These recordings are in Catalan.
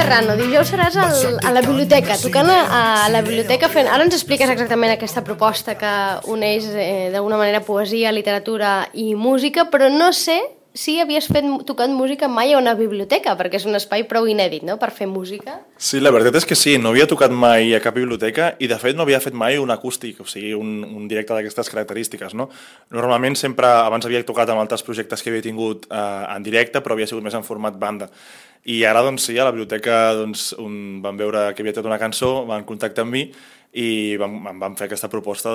Serrano, dijous seràs a la biblioteca, tocant a la biblioteca fent... Ara ens expliques exactament aquesta proposta que uneix d'alguna manera poesia, literatura i música, però no sé si havies tocat música mai a una biblioteca, perquè és un espai prou inèdit, no?, per fer música. Sí, la veritat és que sí, no havia tocat mai a cap biblioteca i de fet no havia fet mai un acústic, o sigui, un directe d'aquestes característiques, no? Normalment sempre, abans havia tocat amb altres projectes que havia tingut en directe, però havia sigut més en format banda. I ara, doncs sí, a la biblioteca van veure que havia tret una cançó, van contactar amb mi i vam fer aquesta proposta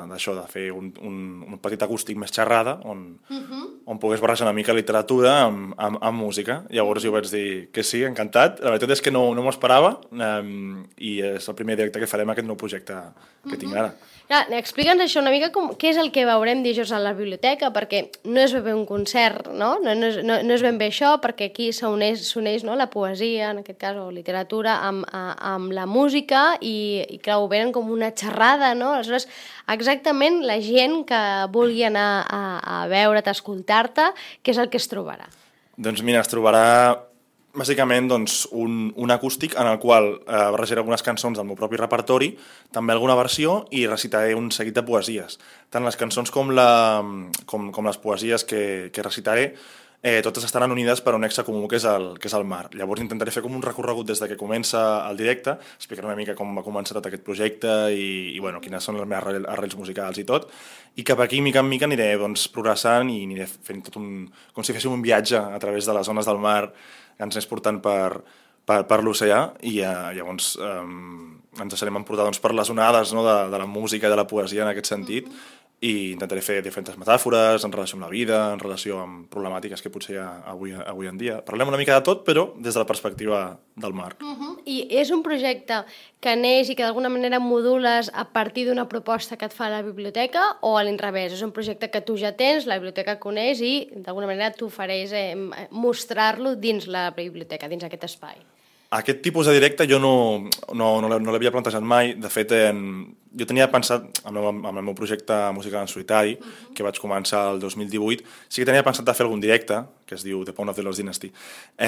d'això, de fer un petit acústic més xerrada on pogués barrejar una mica literatura amb música. Llavors jo vaig dir que sí, encantat. La veritat és que no m'ho esperava i és el primer directe que farem aquest nou projecte que tinc ara. Explica'ns això una mica, què és el que veurem dijous a la biblioteca, perquè no és ben bé un concert, no? No és ben bé això, perquè aquí s'uneix la poesia, en aquest cas, o literatura, amb la música i clar, ho venen com una xerrada, no? Aleshores, exactament la gent que vulgui anar a veure't, a escoltar-te, què és el que es trobarà? Doncs mira, es trobarà bàsicament un acústic en el qual barrejaré algunes cançons del meu propi repertori, també alguna versió, i recitaré un seguit de poesies. Tant les cançons com les poesies que recitaré, totes estaran unides per un nexe comú que és el mar. Llavors intentaré fer com un recorregut des de que comença el directe, explicar una mica com va començar tot aquest projecte i quines són les meves arrels musicals i tot, i cap aquí, mica en mica, aniré progressant i aniré fent tot com si féssim un viatge a través de les zones del mar que ens és portant per l'oceà i llavors ens deixarem emportar per les onades de la música i de la poesia en aquest sentit i intentaré fer diferents metàfores en relació amb la vida, en relació amb problemàtiques que potser hi ha avui en dia. Parlem una mica de tot, però des de la perspectiva del mar. I és un projecte que neix i que d'alguna manera modules a partir d'una proposta que et fa la biblioteca o a l'inrevés? És un projecte que tu ja tens, la biblioteca coneix i d'alguna manera t'ofereix mostrar-lo dins la biblioteca, dins aquest espai. Aquest tipus de directe jo no l'havia plantejat mai. De fet, jo tenia pensat, amb el meu projecte musical en solitari, que vaig començar el 2018, sí que tenia pensat de fer algun directe, que es diu The Pawn of the Lost Dynasty.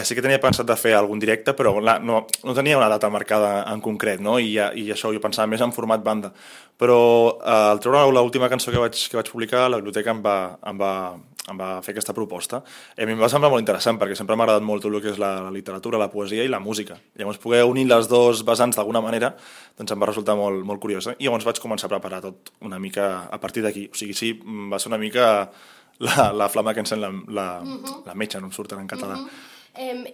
Sí que tenia pensat de fer algun directe, però no tenia una data marcada en concret, no? I això jo pensava més en format banda. Però al treure l'última cançó que vaig publicar, la biblioteca em va fer aquesta proposta. I a mi em va semblar molt interessant, perquè sempre m'ha agradat molt tot el que és la literatura, la poesia i la música. Llavors, poder unir les dos vessants d'alguna manera, doncs em va resultar molt, molt curiosa. I llavors vaig començar a preparar tot una mica a partir d'aquí. O sigui, sí, va ser una mica la flama que encén la metxa, no em surten en català.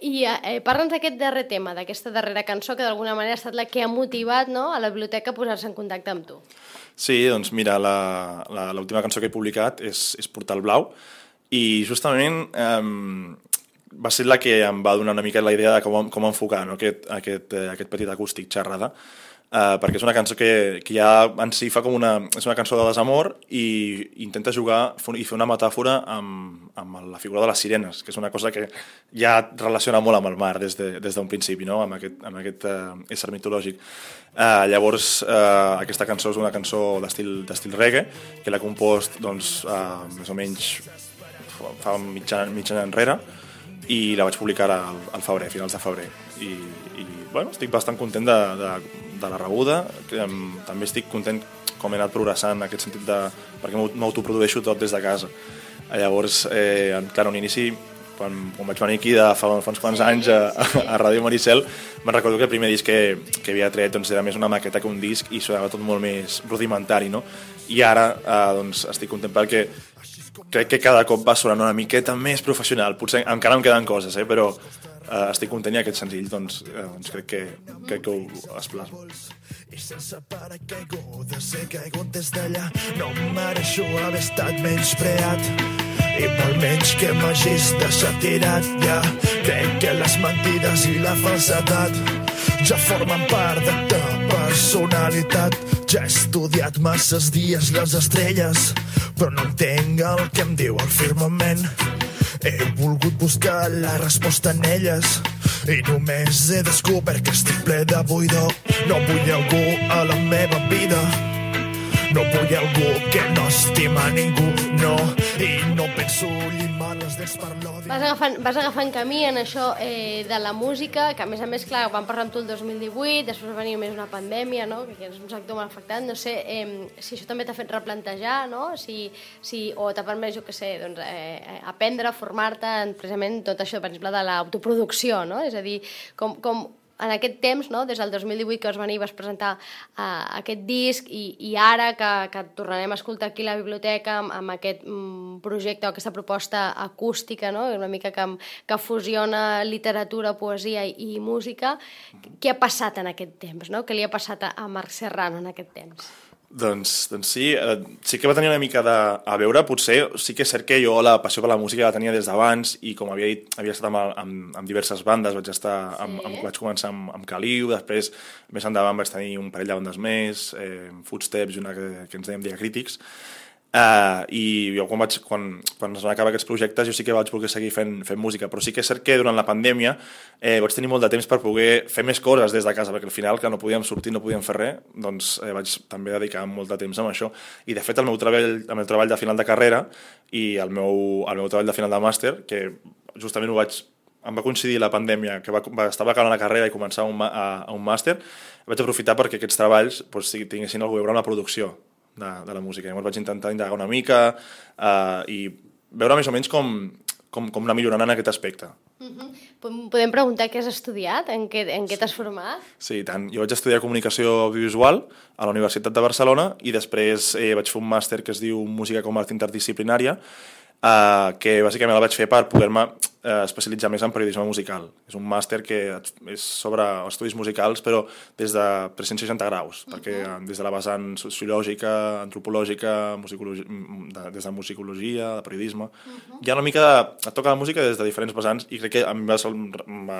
I parla'ns d'aquest darrer tema, d'aquesta darrera cançó, que d'alguna manera ha estat la que ha motivat a la biblioteca a posar-se en contacte amb tu. Sí, doncs mira, l'última cançó que he publicat és Portal Blau, i justament va ser la que em va donar una mica la idea de com enfocar aquest petit acústic xerrada, perquè és una cançó que ja en si fa com és una cançó de desamor i intenta jugar i fer una metàfora amb la figura de les sirenes, que és una cosa que ja relaciona molt amb el mar des d'un principi, no? Amb aquest ésser mitològic. Llavors, aquesta cançó és una cançó d'estil reggae, que l'ha compost més o menys fa mig any enrere, i la vaig publicar al febrer, a finals de febrer. I estic bastant content de la rebuda. També estic content com he anat progressant en aquest sentit perquè m'autoprodueixo tot des de casa. Llavors, clar, un inici, quan vaig venir aquí fa uns quants anys a Ràdio Maricel, me'n recordo que el primer disc que havia tret era més una maqueta que un disc i sonava tot molt més rudimentari, no? I ara estic content perquè crec que cada cop va sonant una miqueta més professional. Potser encara em queden coses, però estic content i aquest senzill crec que ho es plasma. I sense paracaigudes he caigut des d'allà. No em mereixo haver estat menyspreat i pel menys que m'hagis deixat tirat. Ja crec que les mentides i la falsedat ja formen part de ta personalitat. Ja he estudiat masses dies les estrelles, però no entenc el que em diu el firmament. He volgut buscar la resposta en elles i només he descobert que estic ple de buidor. No vull algú a la meva vida, no vull algú que no estima ningú, no, i no penso llimar les dents per l'odi. Vas agafant camí en això de la música, que a més, clar, vam parlar amb tu el 2018, després va venir més una pandèmia, no? Que és un sector molt afectat, no sé si això també t'ha fet replantejar, no? O t'ha permès, jo què sé, doncs, aprendre, formar-te en precisament tot això, per exemple, de l'autoproducció, no? És a dir, com en aquest temps, no? Des del 2018 que vas venir i vas presentar aquest disc i ara que tornarem a escoltar aquí a la biblioteca amb aquest projecte o aquesta proposta acústica, no? Una mica que fusiona literatura, poesia i música, què ha passat en aquest temps, no? Què li ha passat a Marc Serrano en aquest temps? Doncs sí, sí que va tenir una mica a veure, potser sí que és cert que jo la passió per la música la tenia des d'abans i com havia dit, havia estat amb diverses bandes, vaig començar amb Caliu, després més endavant vaig tenir un parell de bandes més, Footsteps i una que ens dèiem Diacrítics, i jo quan es van acabar aquests projectes jo sí que vaig voler seguir fent música, però sí que és cert que durant la pandèmia vaig tenir molt de temps per poder fer més coses des de casa, perquè al final que no podíem sortir, no podíem fer res, doncs vaig també dedicar molt de temps a això, i de fet el meu treball de final de carrera i el meu treball de final de màster, que justament em va coincidir la pandèmia, que estava acabant la carrera i començar un màster, vaig aprofitar perquè aquests treballs tinguessin alguna cosa a veure amb la producció de la música. Llavors vaig intentar indagar una mica i veure més o menys com anar millorant en aquest aspecte. Podem preguntar què has estudiat? En què t'has format? Sí, tant. Jo vaig estudiar comunicació audiovisual a la Universitat de Barcelona i després vaig fer un màster que es diu Música com a art interdisciplinària, que bàsicament el vaig fer per poder-me especialitzar més en periodisme musical. És un màster que és sobre estudis musicals, però des de 360 graus, perquè des de la vessant sociològica, antropològica, des de musicologia, de periodisme, hi ha una mica et toca la música des de diferents vessants i crec que a mi va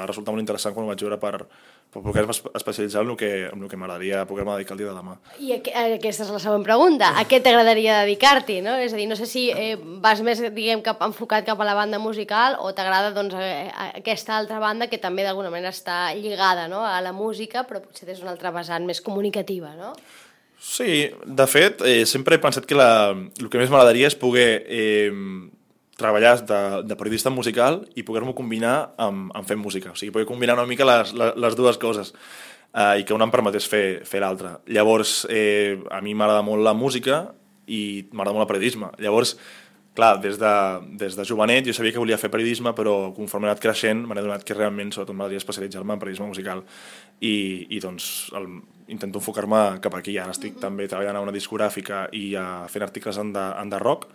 resultar molt interessant quan ho vaig veure per poder-me especialitzar en el que m'agradaria poder-me dedicar el dia de demà. I aquesta és la següent pregunta. A què t'agradaria dedicar-t'hi? No? És a dir, no sé si vas més, diguem, enfocat cap a la banda musical o t'agrada doncs, aquesta altra banda que també d'alguna manera està lligada, no? A la música, però potser és una altra vessant més comunicativa, no? Sí, de fet, sempre he pensat que el que més m'agradaria és poder treballar de periodista musical i poder-m'ho combinar amb fer música. O sigui, poder combinar una mica les dues coses i que una em permetés fer l'altra. Llavors, a mi m'agrada molt la música i m'agrada molt el periodisme. Llavors, clar, des de jovenet jo sabia que volia fer periodisme, però conforme he anat creixent m'he adonat que realment sobretot m'agradaria especialitzar-me en periodisme musical i doncs intento enfocar-me cap aquí. Ara estic també treballant a una discogràfica i fent articles en de rock,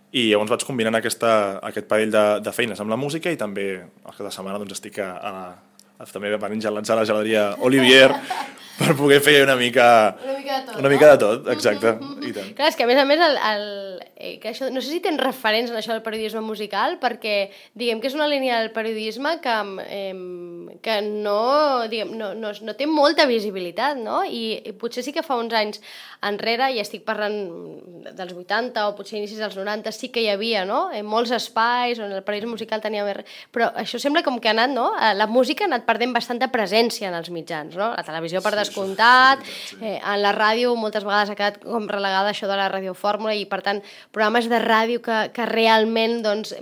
i llavors vaig combinant aquest parell de feines amb la música i també els caps de setmana doncs, estic també venint gelats a la geladeria Olivier per poder fer una mica de tot, exacte. I tant. Clar, és que a més que això, no sé si tens referents en això del periodisme musical, perquè diguem que és una línia del periodisme que no té molta visibilitat, no? I potser sí que fa uns anys enrere, i estic parlant dels 80 o potser inicis dels 90, sí que hi havia, no? Molts espais on el periodisme musical tenia més... Però això sembla com que ha anat, no? La música ha anat perdent bastanta presència en els mitjans, no? La televisió per descomptat, en la ràdio moltes vegades ha quedat com relegada això de la radiofórmula i per tant programes de ràdio que realment doncs,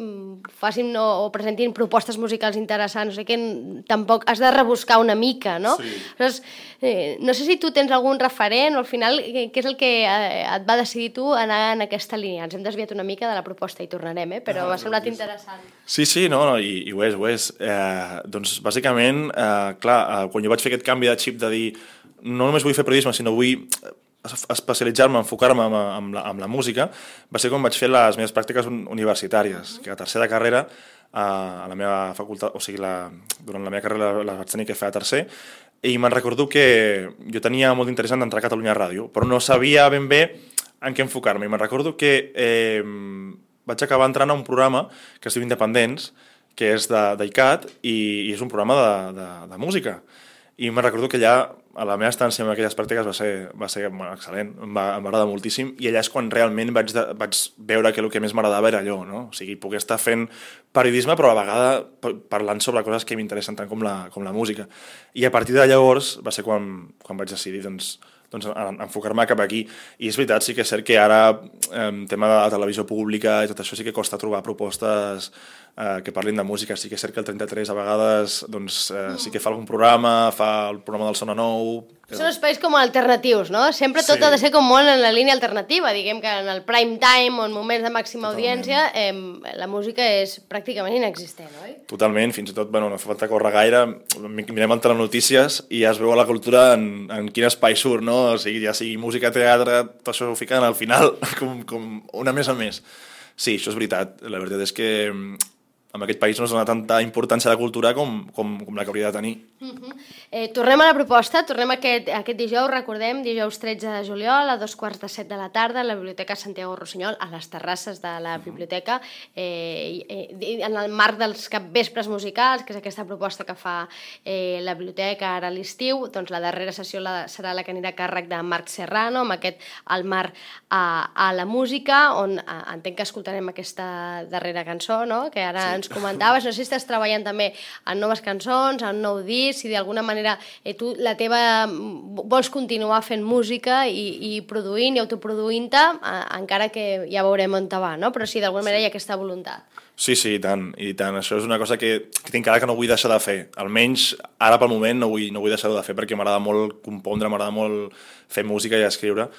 facin o presentin propostes musicals interessants, o sigui que tampoc has de rebuscar una mica, no? Sí. Llavors, no sé si tu tens algun referent o al final què és el que et va decidir tu anar en aquesta línia. Ens hem desviat una mica de la proposta i tornarem, però m'ha semblat interessant. Sí, no, i ho és. Doncs bàsicament, clar, quan jo vaig fer aquest canvi de xip de dir no només vull fer periodisme, sinó vull especialitzar-me, enfocar-me amb la música, va ser quan vaig fer les meves pràctiques universitàries, que a tercer de carrera a la meva facultat, o sigui, durant la meva carrera les vaig tenir que fer a tercer, i me'n recordo que jo tenia molt d'interès en entrar a Catalunya Ràdio, però no sabia ben bé en què enfocar-me, i me'n recordo que vaig acabar entrant a un programa que es diu Independents, que és d'ICAT, i és un programa de música. I me'n recordo que allà, a la meva estància en aquelles pràctiques va ser excel·lent, em va agradar moltíssim, i allà és quan realment vaig veure que el que més m'agradava era allò, no? O sigui, poder estar fent periodisme, però a la vegada parlant sobre coses que m'interessen tant com la música. I a partir de llavors va ser quan vaig decidir doncs, doncs, enfocar-me cap aquí. I és veritat, sí que és cert que ara tema de la televisió pública i tot això sí que costa trobar propostes que parlin de música. Sí que és cert que el 33 a vegades doncs, sí que fa algun programa, fa el programa del Sona Nou... Són espais com alternatius, no? Sempre tot ha de ser com molt en la línia alternativa, diguem que en el prime time o en moments de màxima audiència la música és pràcticament inexistent, oi? Totalment, fins i tot, bueno, no fa falta córrer gaire, mirem en telenotícies i ja es veu a la cultura en quin espai surt, no? O sigui, ja sigui música, teatre, tot això ho fiquen al final com una més a més. Sí, això és veritat. La veritat és que en aquest país no es dona tanta importància a la cultura com la que hauria de tenir. Tornem a la proposta, tornem aquest dijous, recordem, dijous 13 de juliol a 2:45 de la tarda a la Biblioteca Santiago Rossinyol, a les terrasses de la biblioteca, en el marc dels capvespres musicals, que és aquesta proposta que fa la biblioteca ara a l'estiu. Doncs la darrera sessió serà la que anirà a càrrec de Marc Serrano, amb aquest El mar a la música, on entenc que escoltarem aquesta darrera cançó, no?, que ara ens comentaves. No sé si estàs treballant també en noves cançons, en nou disc, si d'alguna manera tu vols continuar fent música i produint i autoproduint-te, encara que ja veurem on te va, no? Però sí, d'alguna manera hi ha aquesta voluntat. Sí, i tant. Això és una cosa que tinc cara que no vull deixar de fer. Almenys ara pel moment no vull deixar-ho de fer perquè m'agrada molt compondre, m'agrada molt fer música i escriure.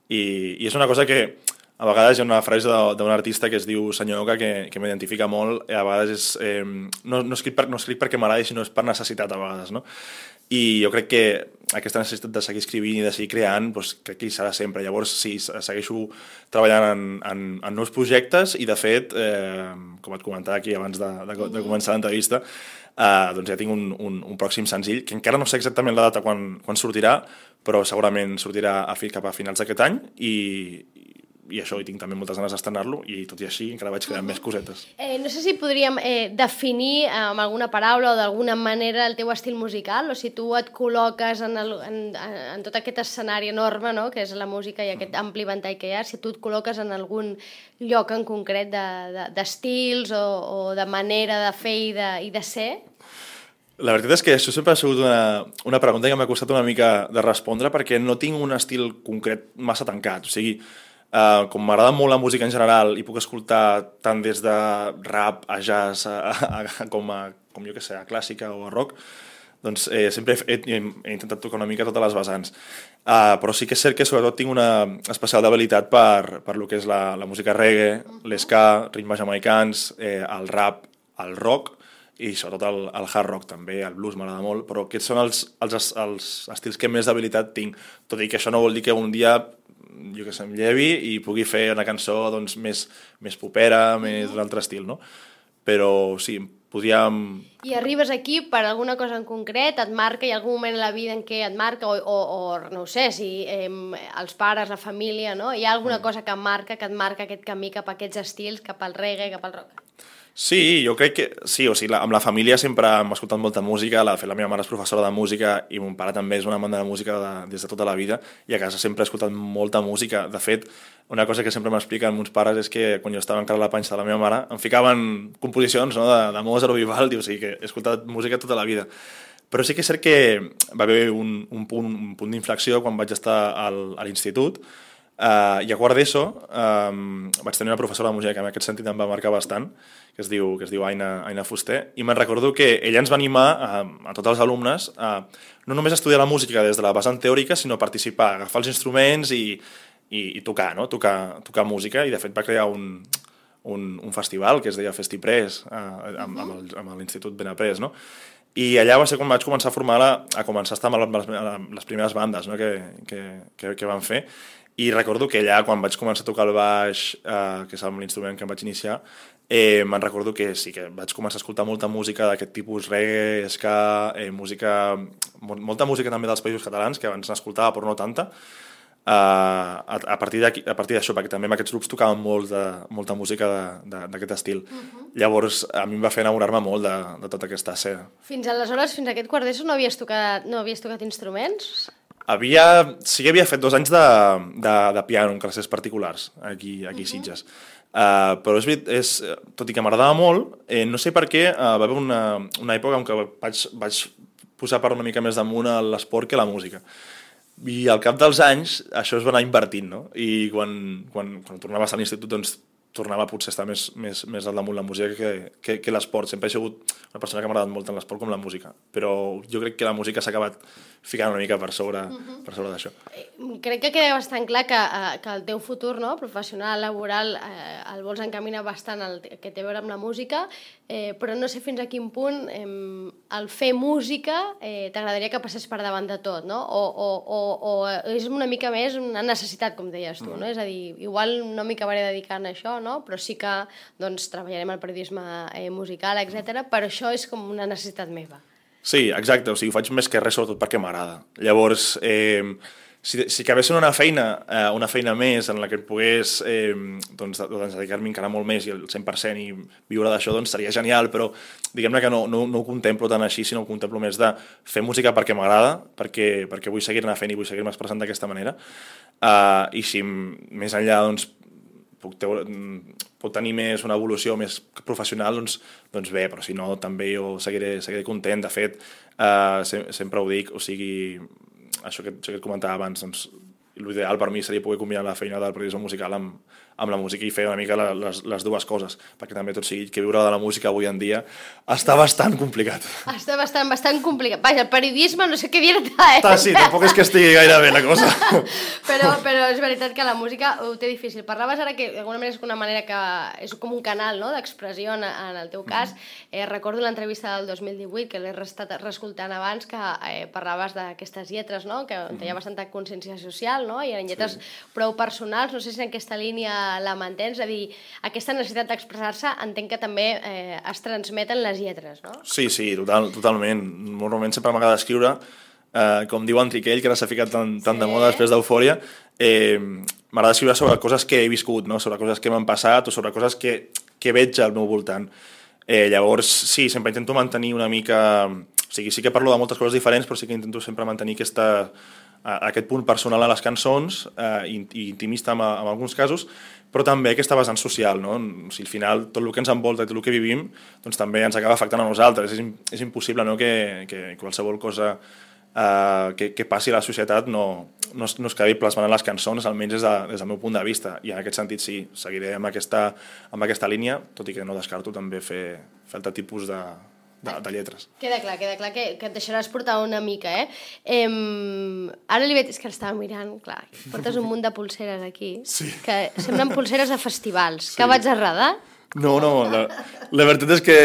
I és una cosa que a vegades hi ha una frase d'un artista que es diu Senyor Oca que m'identifica molt, i a vegades no escric perquè m'agradi, sinó és per necessitat a vegades, no? I jo crec que aquesta necessitat de seguir escrivint i de seguir creant, doncs, crec que hi serà sempre. Llavors, sí, segueixo treballant en nous projectes i, de fet, com et comentava aquí abans de començar l'entrevista, doncs ja tinc un pròxim senzill, que encara no sé exactament la data quan sortirà, però segurament sortirà cap a finals d'aquest any i això, i tinc també moltes ganes d'estrenar-lo, i tot i així encara vaig creant més cosetes. No sé si podríem definir amb alguna paraula o d'alguna manera el teu estil musical, o si tu et col·loques en tot aquest escenari enorme, no?, que és la música i aquest ampli ventall que hi ha, si tu et col·loques en algun lloc en concret d'estils o de manera de fer i de ser. La veritat és que això sempre ha sigut una pregunta que m'ha costat una mica de respondre, perquè no tinc un estil concret massa tancat. O sigui, com m'agrada molt la música en general i puc escoltar tant des de rap a jazz com jo que sé, a clàssica o a rock, doncs sempre he intentat tocar una mica totes les vessants. Però sí que és cert que sobretot tinc una especial debilitat per lo que és la música reggae, l'esca, ritmes jamaicans, el rap, el rock i sobretot el hard rock també, el blues m'agrada molt, però aquests són els estils que més debilitat tinc, tot i que això no vol dir que un dia jo que sé, em llevi i pugui fer una cançó doncs, més popera, més d'un altre estil, no? Però sí, podríem... I arribes aquí per alguna cosa en concret, et marca, hi ha algun moment a la vida en què et marca, o no ho sé, si els pares, la família, no? Hi ha alguna cosa que et marca aquest camí cap a aquests estils, cap al reggae, cap al rock? Sí, jo crec que sí, o sigui, amb la família sempre hem escoltat molta música, la meva mare és professora de música i mon pare també és una amant de la música des de tota la vida, i a casa sempre he escoltat molta música. De fet, una cosa que sempre m'expliquen meus pares és que quan jo estava encara a la panxa de la meva mare em ficaven composicions, no, de Mozart o Vivaldi, o sigui que he escoltat música tota la vida. Però sí que és cert que va haver un punt d'inflexió quan vaig estar a l'institut, i a quart d'ESO vaig tenir una professora de música que en aquest sentit em va marcar bastant, que es diu Aina Fuster, i me'n recordo que ella ens va animar a tots els alumnes a no només estudiar la música des de la vessant teòrica, sinó a participar, agafar els instruments i tocar, no? Tocar música, i de fet va crear un festival que es deia Festipress amb l'Institut Benaprés, no? I allà va ser quan vaig començar a estar amb les primeres bandes, no? que van fer. I recordo que allà, quan vaig començar a tocar el baix, que és l'instrument que em vaig iniciar, me'n recordo que sí que vaig començar a escoltar molta música d'aquest tipus, reggae, ska, molta música també dels països catalans, que abans n'escoltava però no tanta, a partir d'això, perquè també en aquests grups tocaven molta música d'aquest estil. Llavors, a mi em va fer enamorar-me molt de tota aquesta escena. Fins aleshores, fins a aquest quart d'ESO, no havies tocat instruments? Sí que havia fet 2 anys de piano en classes particulars, aquí a Sitges. Però tot i que m'agradava molt, no sé per què, va haver una època en què vaig posar per una mica més damunt l'esport que la música. I al cap dels anys això es va anar invertint, no? I quan tornava a estar a l'institut, doncs tornava potser a estar més al damunt la música que l'esport. Sempre he sigut una persona que m'ha agradat molt tant l'esport com la música, però jo crec que la música s'ha acabat ficant una mica per sobre d'això. Crec que queda bastant clar que el teu futur, no, professional, laboral, el vols encaminar bastant el que té a veure amb la música, però no sé fins a quin punt el fer música t'agradaria que passés per davant de tot, no? O és una mica més una necessitat, com deies tu, no? És a dir, igual no m'hi acabaré dedicant a això, no? Però sí que doncs, treballarem el periodisme musical, etc. Però això és com una necessitat meva. Sí, exacte, o sigui, ho faig més que res sobretot perquè m'agrada. Llavors, si acabés sent una feina més en la que pogués doncs, dedicar-m'hi encara molt més i el 100% i viure d'això, doncs seria genial, però diguem-ne que no ho contemplo tant així, sinó ho contemplo més de fer música perquè m'agrada, perquè vull seguir-ne fent i vull seguir-me expressant d'aquesta manera, i si més enllà doncs, pot tenir més una evolució més professional, doncs bé, però si no també jo seguiré content. De fet, sempre ho dic, o sigui, això que et comentava abans, doncs l'ideal per mi seria poder combinar la feina del periodisme musical amb la música i fer una mica les dues coses, perquè també tot sigui que viure de la música avui en dia està bastant complicat. Està bastant complicat. Vaja, el periodisme no sé què dir-te, Sí, tampoc és que estigui gaire bé la cosa. Però és veritat que la música ho té difícil. Parlaves ara que d'alguna manera és una manera que és com un canal, no?, d'expressió en el teu cas. Recordo l'entrevista del 2018, que l'he estat reescoltant abans, que parlaves d'aquestes lletres, no?, que hi ha bastanta consciència social, no?, i eren lletres prou personals. No sé si en aquesta línia la mantens, és a dir, aquesta necessitat d'expressar-se entenc que també es transmeten les lletres, no? Sí, totalment. Normalment sempre m'agrada escriure, com diu Enriquell, que ara s'ha ficat tan de moda després d'Eufòria, m'agrada escriure sobre coses que he viscut, no? Sobre coses que m'han passat o sobre coses que veig al meu voltant. Llavors, sí, sempre intento mantenir una mica... O sigui, sí que parlo de moltes coses diferents, però sí que intento sempre mantenir aquest punt personal a les cançons, i intimista en alguns casos, però també aquesta vessant social, no? O sigui, al final, tot el que ens envolta i tot el que vivim, doncs també ens acaba afectant a nosaltres. És impossible, no?, que qualsevol cosa que passi a la societat no es quedi plasmant en les cançons, almenys des del meu punt de vista. I en aquest sentit, sí, seguiré amb aquesta línia, tot i que no descarto també fer altre tipus de lletres. Queda clar que et deixaràs portar una mica, Ara li veig, és que estava mirant, clar, portes un munt de pulseres aquí, que semblen pulseres de festivals. Que vaig arredar? No, la veritat és que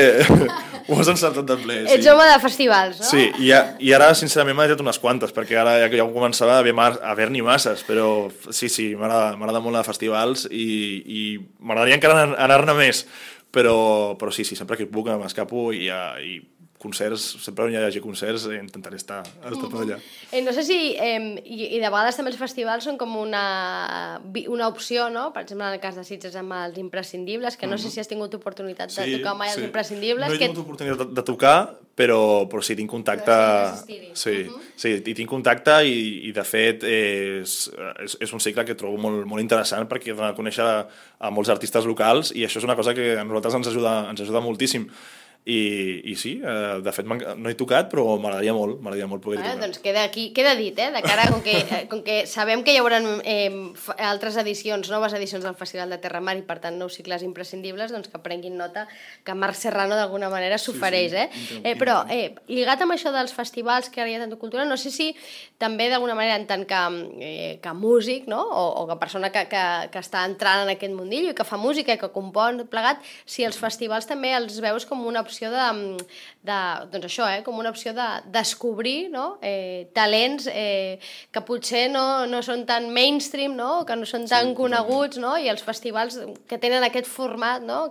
ho has encertat de ple. Ets home de festivals, no? Sí, i ara sincerament m'ha dit unes quantes, perquè ara ja començava a haver-n'hi masses, però sí, m'agrada molt de festivals i m'agradaria encara anar-ne més, però sí, sempre que puc m'escapo i concerts, sempre on hi hagi concerts intentaré estar tot allà. No sé si, i de vegades també els festivals són com una opció, no? Per exemple, en el cas de Sitges amb els imprescindibles, que no sé si has tingut oportunitat de tocar mai els imprescindibles. No he tingut oportunitat de tocar, però sí, tinc contacte. Sí, tinc contacte i de fet és un cicle que trobo molt interessant perquè dona a conèixer a molts artistes locals i això és una cosa que a nosaltres ens ajuda moltíssim. I sí, de fet no he tocat, però m'agradaria molt poder tocar. Doncs queda dit, de cara, com que sabem que hi haurà altres edicions, noves edicions del Festival de Terramar i per tant nous cicles imprescindibles, doncs que prenguin nota que Marc Serrano d'alguna manera s'ofereix. Però lligat amb això dels festivals que ara hi ha tanta cultura, no sé si també d'alguna manera en tant que músic, no? O que persona que està entrant en aquest mundillo i que fa música i que compon plegat, si els festivals també els veus com una opció doncs això, com una opció de descobrir, no?, talents que potser no són tan mainstream, no?, que no són tan coneguts, no?, i els festivals que tenen aquest format, no?,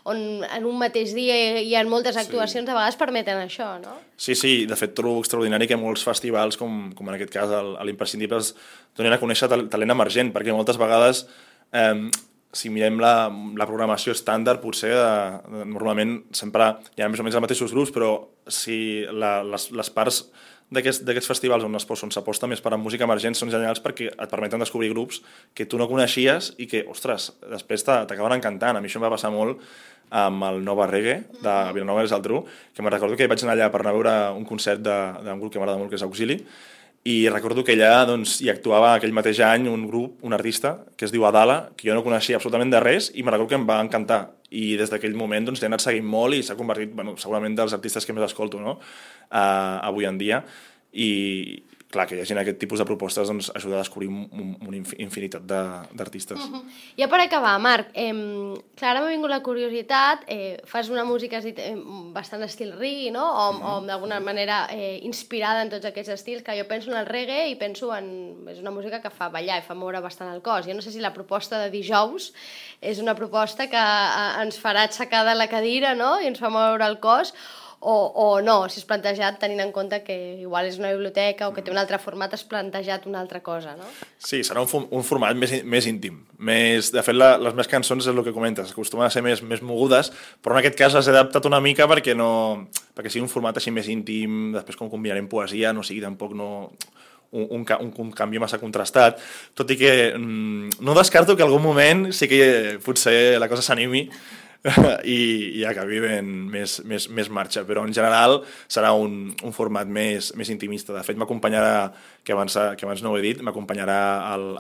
on en un mateix dia hi ha moltes actuacions, a vegades permeten això, no? Sí, de fet trobo extraordinari que molts festivals, com en aquest cas a l'Imprescindibles, donin a conèixer talent emergent, perquè moltes vegades si mirem la programació estàndard, potser normalment sempre hi ha més o menys els mateixos grups, però si les parts d'aquests festivals on s'aposta més per a música emergent són genials perquè et permeten descobrir grups que tu no coneixies i que, ostres, després t'acaben encantant. A mi això em va passar molt amb el Nova Reggae de Vilanova i la Geltrú, que me'n recordo que vaig anar allà per anar a veure un concert d'un grup que m'agrada molt, que és Auxili, i recordo que allà doncs, hi actuava aquell mateix any un grup, un artista, que es diu Adala, que jo no coneixia absolutament de res i me recordo que em va encantar. I des d'aquell moment doncs, l'he anat seguint molt i s'ha convertit segurament dels artistes que més escolto, no? Avui en dia. I clar, que hi hagi aquest tipus de propostes doncs, ajuda a descobrir una infinitat d'artistes. Ja per acabar, Marc, clar, ara m'ha vingut la curiositat, fas una música, has dit, bastant estil reggae, no? O d'alguna manera inspirada en tots aquests estils, que jo penso en el reggae i penso en... És una música que fa ballar i fa moure bastant el cos. Jo no sé si la proposta de dijous és una proposta que ens farà aixecar de la cadira, no? I ens fa moure el cos, o no, si és plantejat tenint en compte que igual és una biblioteca o que té un altre format, has plantejat una altra cosa, no? Sí, serà un format més íntim. De fet, les meves cançons és el que comentes, acostumen a ser més mogudes, però en aquest cas les he adaptat una mica perquè sigui un format així més íntim, després com combinarem poesia, no sigui tampoc un canvi massa contrastat, tot i que no descarto que en algun moment sí que potser la cosa s'animi i acabi ben més marxa, però en general serà un format més intimista. De fet, m'acompanyarà, que abans no ho he dit, m'acompanyarà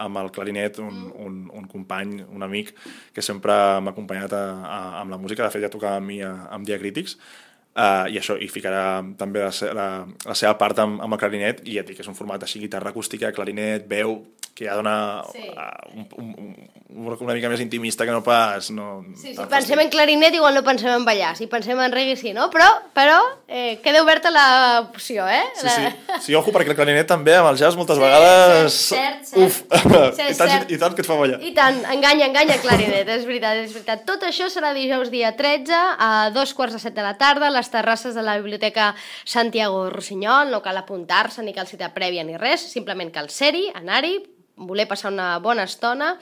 amb el clarinet un company, un amic, que sempre m'ha acompanyat amb la música. De fet, ja tocava amb mi amb Diacrítics, i això, i ficarà també la seva part amb el clarinet, i ja dic que és un format així, guitarra acústica, clarinet, veu, que ja dona una mica més intimista que no pas... Si pensem en clarinet igual no pensem en ballar, si pensem en reggae sí, no? Però queda oberta l'opció, eh? Sí, ojo, perquè el clarinet també amb el jazz moltes vegades... Cert. Uf, i tant que et fa ballar. I tant, enganya clarinet, és veritat. Tot això serà dijous dia 13 a 2:45 de la tarda a les terrasses de la Biblioteca Santiago Rossinyol. No cal apuntar-se ni cal cita prèvia ni res, simplement cal ser-hi, anar-hi, voler passar una bona estona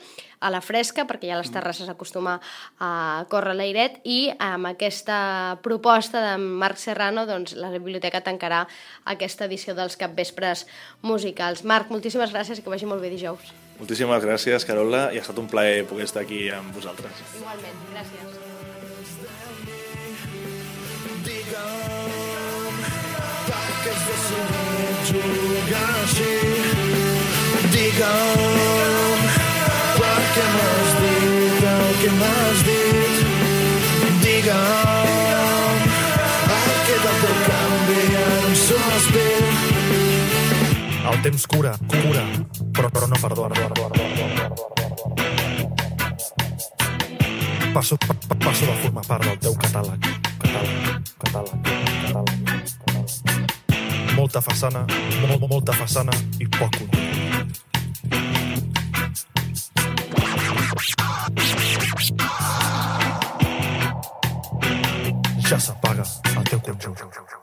a la fresca, perquè ja a les terrasses acostuma a córrer l'airet, i amb aquesta proposta de Marc Serrano doncs, la biblioteca tancarà aquesta edició dels capvespres musicals. Marc, moltíssimes gràcies i que vagi molt bé dijous. Moltíssimes gràcies, Carola, i ha estat un plaer poder estar aquí amb vosaltres. Igualment, gràcies. Perquè és decidit jugar així. Digue'm per què m'has dit el que m'has dit. Digue'm el que del teu canvi ara un sospir. El temps cura, però no perdona. Passo de formar part del teu catàleg. Molta façana i poc contingut. Ja s'apaga el teu conjunt.